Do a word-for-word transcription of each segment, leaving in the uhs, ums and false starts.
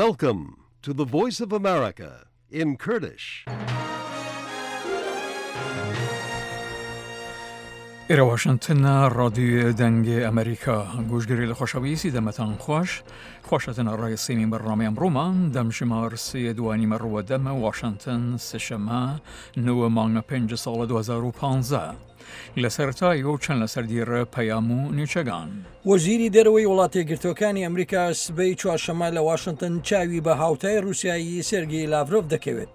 Welcome to the Voice of America in Kurdish. ئێرە واشنتن رادیو دەنگ ئەمریکا گوشگری لە خۆشەویستی دەمەتان خوش خوشتن ڕای سیمین بەرنامەی ئەمڕۆمان دەمژمار سێ دوانی مەڕوە دەمە واشنتن سێشەمە نوە مانگە پێنج ساڵە دوو هەزار و پانزە لە سەرەتای و چەند لەسەر دیرە پەیام و نیچەگان. وەزیری دەرەوەی وڵاتە یەکگرتووەکانی ئەمریکا سبەی چوارشەممە لە واشنتن چاوی بە هاوتای رووسیایی سێرگی لاڤرۆف دەکەوێت.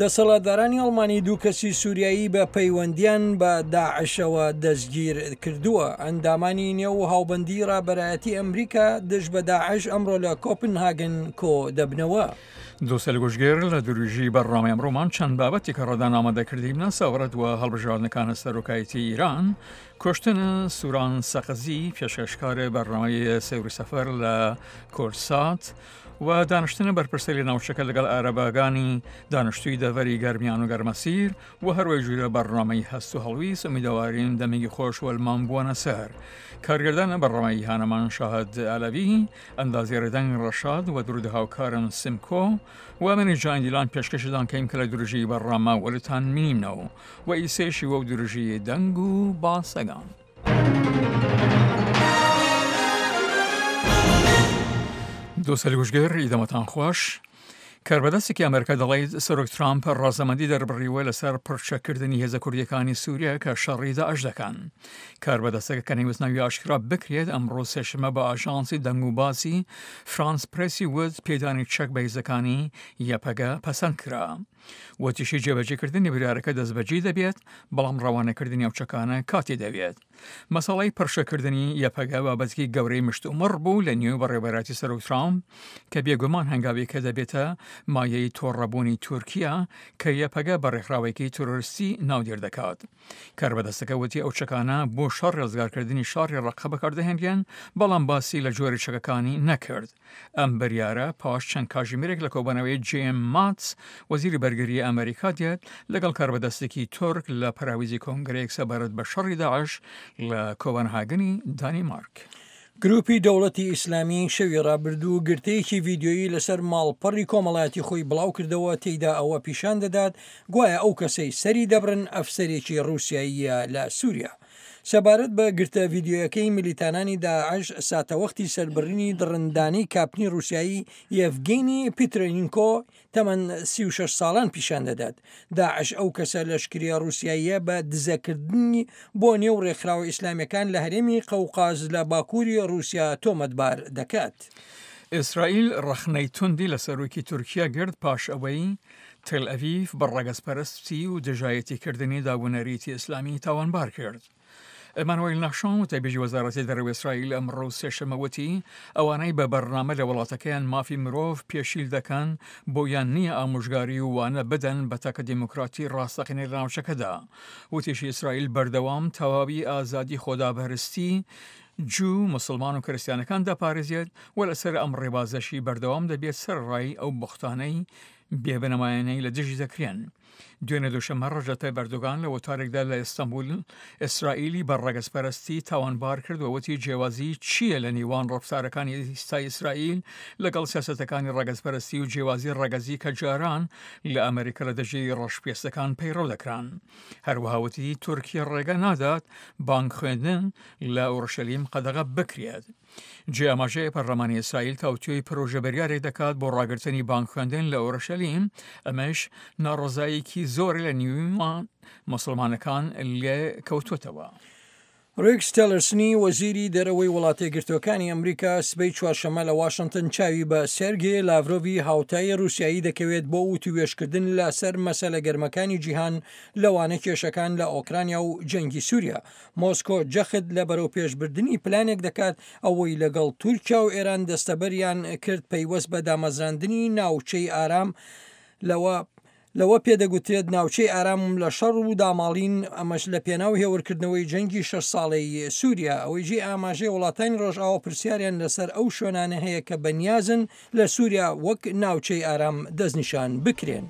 دەسەڵاتدارانی ئەڵمانی دوو کەسی سووریایی بە پەیوەندیان بە داعشەوە دەستگیر کردووە. ئەندامانی نێو هاوبەندی ڕابەرایەتی ئەمریکا دژ بە داعش ئەمڕۆ لە کۆپنهاگن کۆ دەبنەوە. دووسەل گوشگێر لە دروژی بەرنامەی ئەمڕۆمان چەند بابەتی کە ڕەدان ئامادەکردیمنە سەبارەت وە هەڵبژاردنەکانە سەرۆکایەتی ئیران، کوشتن سوران سەقزی پێشکەشکار بەرنامەی سەیر و سەفەر لە کورسات و دانیشتن بەرپرسەری ناوچەکە لەگەڵ عەرەبەگانی دانیشتوی دەڤەری گەرمیان و گەرمەسیر و هەروەی جوورە بەرنامەی هەست و هەڵویست. ئومیدەوارین دەمێکی خۆش وەلمان بووەنە سەر. کارگردانە بەرنامەی هانەمان شاهد عەلەوی، ئەندازیاری دەنگ ڕەشاد و درود هاوکارم سمکۆ و منی جان دیلان پێشکەشدان کەیم کە لە درژی بەرنامە وەلتان مینەوە و ئیسێشی وەو درژی دەنگ و باسەگان. دووسەل گوشگر ئیدەمەتان خوش. کاربەدەستێکی ئەمریکا دەڵێت سەرۆک ترامپ ڕازەمەندی دەربڕیوە لەسەر پرچەکردنی هێزە کوردیەکانی سووریا کە شەڕی داعش دەکەن. کاربەدەستەکە کە نەیوست ناوی ئاشکرا بکرێت ئەمڕۆ سێشەممە بە ئاژانسی دەنگ و باسی فرانس پرێسی وت پێدانی چەک بە هێزەکانی یەپەگە پەسەند کرا. وتیشی جێبەجێکردنی بریارەکە دەستبەجێ دەبێت، بەڵام ڕەوانەکردنی ئەو چەکانە کاتی دەوێت. مەسەڵەی پرشەکردنی یەپەگە بابەتێکی گەورەی مشتومڕ بوو لە نێو بەڕێوەبەرایەتی سەرۆک ترامپ کە بێگومان هەنگاوێکە دەبێتە مایەی تۆڕەبوونی تورکیا کە یەپەگە بە ڕێکخراوێکی تیرۆریستی ناودێر دەکات. کاربەدەستەکە وتی ئەو چەکانە بۆ شەڕ ڕزگارکردنی شاری ڕەقە بەکاردەهێنرێن، بەڵام باسی لە جۆری چەکەکانی نەکرد. ئەم بریارە پاش چەند کاژیمێرێک لە کۆبەنەوەی جیم ماتس وەزیری بەرگری ئەمریکا دێت لەگەڵ کاربەدەستێکی تورک لە پەراویزی کۆنگرەیەک سەبارەت بە شەڕی داعش لە کۆپنهاگنی دانیمارک. گروپی دەوڵەتی ئیسلامی شەوی ڕابردوو گرتەیەکی ڤیدیۆیی لەسەر ماڵپەڕی کۆمەڵایەتی خۆی بڵاو کردەوە، تێیدا ئەوە پیشان دەدات گوایە ئەو کەسەی سەری دەبڕن ئەفسەرێکی ڕووسیاییە لە سووریا. سەبارەت بە گرتە ڤیدیۆیەکەی ملیتانانی داعش ساتەوەختی سەربڕینی دڕندانەی کاپتنی ڕووسیایی یەڤگینی پیترینکۆ تەمەن سی و شەش ساڵان پیشان دەدات. داعش ئەو کەسە لەشکریە ڕووسیاییە بە دزەکردنی بۆ نێو ڕێکخراوە ئیسلامیەکان لە هەرێمی قەوقاز لە باکووری ڕووسیا تۆمەتبار دەکات. ئیسرائیل ڕەخنەی توندی لە سەرۆکی تورکیا گرت پاش ئەوەی تل ئەڤیڤ بە ڕەگەزپەرستی و دژایەتیکردنی داونەریتی ئیسلامی تاوانبار کرد. ئەمانوێل نەخشۆن وتەبێژی وەزارەتی دەرەوەی ئیسرائیل ئەمڕۆ سێشەممە وتی ئەوانەی بە بەرنامە لە وڵاتەکەیان مافی مرۆڤ پێشیل دەکەن بۆیان نییە ئامۆژگاری و وانە بدەن بە تاکە دیموکراتی ڕاستەقینە لە ناوچەکەدا. وتیشی ئیسرائیل بەردەوام تەواوی ئازادی خۆدابەرستی جوو، مسلمان و کریسیانەکان دەپارێزێت و لەسەر ئەم ڕێبازەشی بەردەوام دەبێت سەرڕای ئەو بوختانەی بێبنەمایانەی لە دژی دەکرێن. دوێنێ دووشەممە ڕەجەب تەیب ئەردۆغان لە وتارێکدا لە ئیستانبول ئیسرائیلی بە ڕەگەزپەرستی تاوانبار کرد و وتی جیاوازی چییە لە نێوان ڕەفتارەکانی ئێستای ئیسرائیل لەگەڵ سیاسەتەکانی ڕەگەزپەرستی و جیاوازی ڕەگەزی کە جاران لە ئەمریکا لە دژی ڕەشپێستەکان پەیڕەو دەکران. هەروەها وتی تورکیا ڕێگە نادات بانگ خوێندن لە ئۆرشەلیم قەدەغە بکرێت. جێ ئاماژەیە پەرلەمانی ئیسرائیل تاوتوێی پرۆژە بریارێک دەکات بۆ ڕاگرتنی بانگ خوێندن لە ئۆرشەلیم، ئەمەش ناڕەزاییەکی زۆر لە نیومان مسلمانەکان لێ کەوتوتەوە. ڕێکس تێلەرسنی وەزیری دەرەوەی وڵاتە یەکگرتووەکانی ئەمریکا سبەی چوارشەممە لە واشنتن چاوی بە سێرگی لاڤرۆڤی هاوتای ڕووسیایی دەکەوێت بۆ وتوێژکردن لەسەر مەسەلە گەرمەکانی جیهان لەوانە کێشەکان لە ئۆکرانیا و جەنگی سووریا. مۆسکۆ جەخت لە بەرەوپێشبردنی پلانێک دەکات ئەوەی لەگەڵ تورکیا و ئێران دەستەبەریان کرد پەیوەست بە دامەزراندنی ناوچەی ئارام لەوە لەوە پێدەگوترێت ناوچەی ئارام لە شەڕ و داماڵین، ئەمەش لە پێناو هێورکردنەوەی جەنگی شەش ساڵەی سووریا. ئەوەی جێ ئاماژەی وڵاتانی ڕۆژئاوا پرسیاریان لەسەر ئەو شوێنانە هەیە کە بەنیازن لە سووریا وەک ناوچەی ئارام دەستنیشان بکرێن.